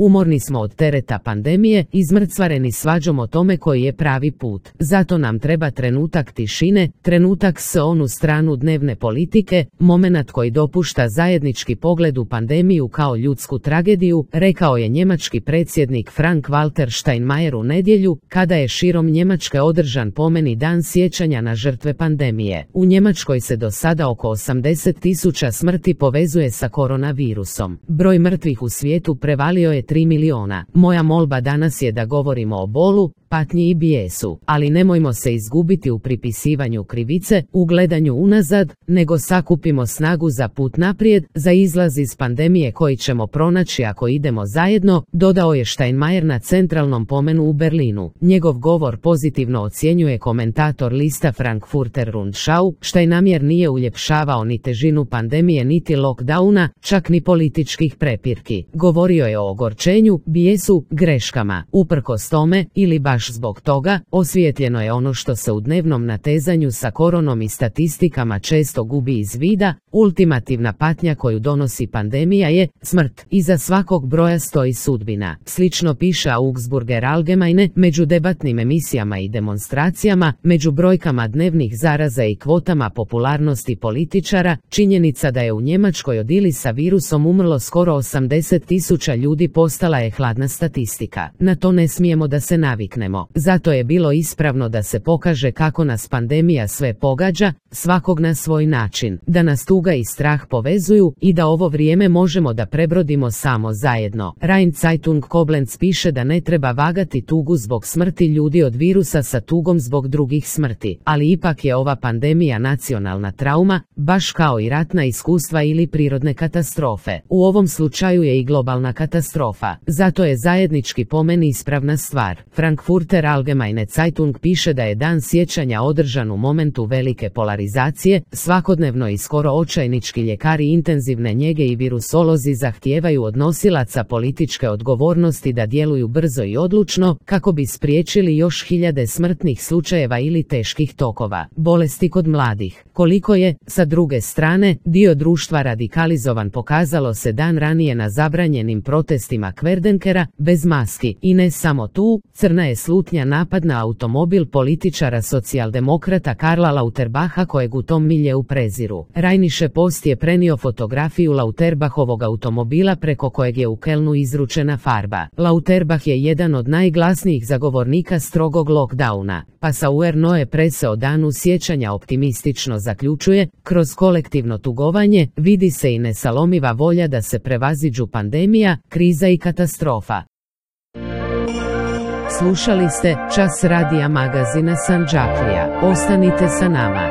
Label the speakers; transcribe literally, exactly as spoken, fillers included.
Speaker 1: Umorni smo od tereta pandemije, izmrcvareni svađom o tome koji je pravi put. Zato nam treba trenutak tišine, trenutak s onu stranu dnevne politike, momenat koji dopušta zajednički pogled u pandemiju kao ljudsku tragediju, rekao je njemački predsjednik Frank-Walter Steinmeier u nedjelju, kada je širom Njemačke održan pomeni dan sjećanja na žrtve pandemije. U Njemačkoj se do sada oko osamdeset tisuća smrti povezuje sa koronavirusom. Broj mrtvih u svijetu prevalio je tri miliona. Moja molba danas je da govorimo o bolu, patnji i bijesu, ali nemojmo se izgubiti u pripisivanju krivice, u gledanju unazad, nego sakupimo snagu za put naprijed, za izlaz iz pandemije koji ćemo pronaći ako idemo zajedno, dodao je Steinmeier na centralnom pomenu u Berlinu. Njegov govor pozitivno ocjenjuje komentator lista Frankfurter Rundschau. Steinmeier nije uljepšavao ni težinu pandemije niti lockdowna, čak ni političkih prepirki. Govorio je o ogorčenju, bijesu, greškama. Uprkos tome, ili baš zbog toga, osvijetljeno je ono što se u dnevnom natezanju sa koronom i statistikama često gubi iz vida, ultimativna patnja koju donosi pandemija je smrt. Iza svakog broja stoji sudbina. Slično piše Augsburger Allgemeine, među debatnim emisijama i demonstracijama, među brojkama dnevnih zaraza i kvotama popularnosti političara, činjenica da je u Njemačkoj od ili sa virusom umrlo skoro osamdeset tisuća ljudi postala je hladna statistika. Na to ne smijemo da se naviknemo. Zato je bilo ispravno da se pokaže kako nas pandemija sve pogađa, svakog na svoj način, da nas tuga i strah povezuju i da ovo vrijeme možemo da prebrodimo samo zajedno. Rhein Zeitung Koblenz piše da ne treba vagati tugu zbog smrti ljudi od virusa sa tugom zbog drugih smrti, ali ipak je ova pandemija nacionalna trauma, baš kao i ratna iskustva ili prirodne katastrofe. U ovom slučaju je i globalna katastrofa. Zato je zajednički pomen ispravna stvar. Frankfurter Allgemeine Zeitung piše da je dan sjećanja održan u momentu velike polarizacije, svakodnevno i skoro očajnički ljekari intenzivne njege i virusolozi zahtijevaju od nosilaca političke odgovornosti da djeluju brzo i odlučno, kako bi spriječili još hiljade smrtnih slučajeva ili teških tokova bolesti kod mladih. Koliko je, sa druge strane, dio društva radikalizovan pokazalo se dan ranije na zabranjenim protestima Kverdenkera, bez maski. I ne samo tu, crna je slutnja napad na automobil političara socijaldemokrata Karla Lauterbacha kojeg u tom miljeu preziru. Rheinische Post je prenio fotografiju Lauterbachovog automobila preko kojeg je u Kelnu izručena farba. Lauterbach je jedan od najglasnijih zagovornika strogog lockdowna. Passauer Neue Presse o danu sjećanja optimistično zaključuje, kroz kolektivno tugovanje vidi se i nesalomiva volja da se prevaziđu pandemija, kriza i katastrofa. Slušali ste Čas radija magazina Sandžaklija. Ostanite sa nama.